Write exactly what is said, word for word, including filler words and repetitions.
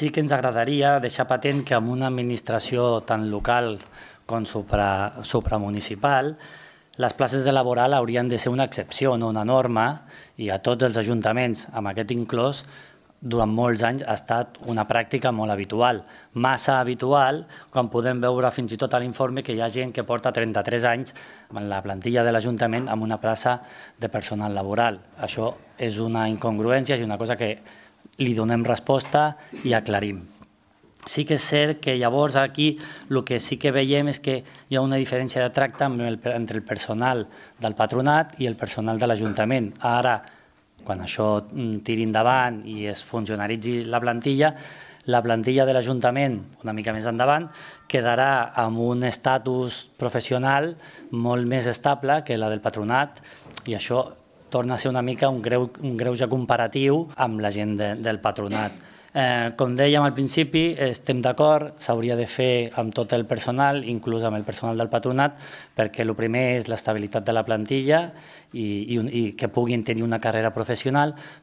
Sí que ens agradaria deixar patent que en una administració tan local com supra, supramunicipal, les places de laboral haurien de ser una excepció, no una norma, i a tots els ajuntaments, amb aquest inclòs, durant molts anys ha estat una pràctica molt habitual. Massa habitual, quan podem veure fins i tot a l'informe que hi ha gent que porta trenta-tres anys en la plantilla de l'Ajuntament amb una plaça de personal laboral. Això és una incongruència, és una cosa que li donem resposta i aclarim. Sí que és cert que llavors aquí el que sí que veiem és que hi ha una diferència de tracte entre el personal del patronat i el personal de l'Ajuntament. Ara, quan això tiri endavant i es funcionaritzi la plantilla, la plantilla de l'Ajuntament, una mica més endavant, quedarà amb un estatus professional molt més estable que la del patronat, i això torna a ser una mica un greuge comparatiu amb la gent del patronat. Com dèiem al principi, estem d'acord, s'hauria de fer amb tot el personal, inclús amb el personal del patronat, perquè el primer és l'estabilitat de la plantilla i que puguin tenir una carrera professional,